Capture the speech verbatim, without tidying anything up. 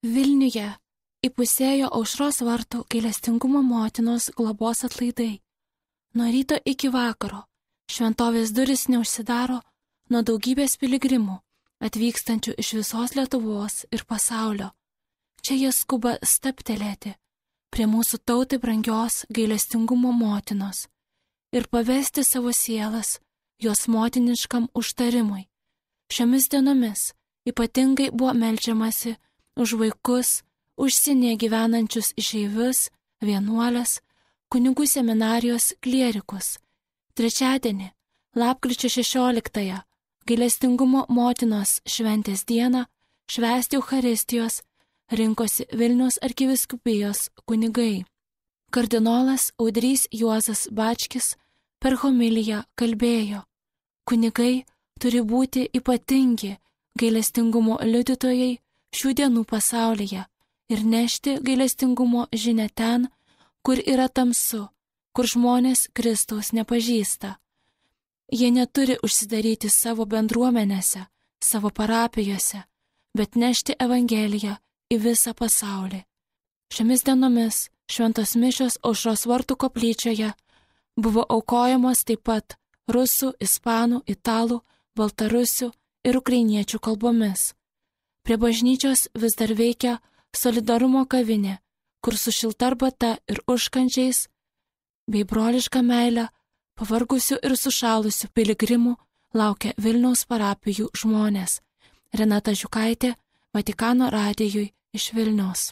Vilniuje įpusėjo Aušros vartų gailestingumo motinos globos atlaidai. Nuo ryto iki vakaro šventovės duris neužsidaro nuo daugybės piligrimų, atvykstančių iš visos Lietuvos ir pasaulio. Čia jie skuba staptelėti prie mūsų tautai brangios gailestingumo motinos ir pavesti savo sielas jos motiniškam užtarimui. Šiomis dienomis ypatingai buvo meldžiamasi už vaikus, užsienyje gyvenančius išeivius, vienuolės, kunigų seminarijos klierikus. Trečiadienį, lapkričio šešioliktąją, gailestingumo motinos šventės dieną, švęsti Eucharistijos rinkosi Vilniaus arkivyskupijos kunigai. Kardinolas Audrys Juozas Bačkis per homiliją kalbėjo: kunigai turi būti ypatingi gailestingumo liudytojai šių dienų pasaulyje ir nešti gailestingumo žinią ten, kur yra tamsu, kur žmonės Kristaus nepažįsta. Jie neturi užsidaryti savo bendruomenėse, savo parapijose, bet nešti Evangeliją į visą pasaulį. Šiomis dienomis šventos mišios Aušros vartų koplyčioje buvo aukojamos taip pat rusų, ispanų, italų, baltarusių ir ukrainiečių kalbomis. Prie bažnyčios vis dar veikia solidarumo kavinė, kur su šilta arbata ir užkandžiais bei broliška meilė pavargusių ir sušalusių piligrimų laukia Vilniaus parapijų žmonės. Renata Žiukaitė, Vatikano radijui iš Vilniaus.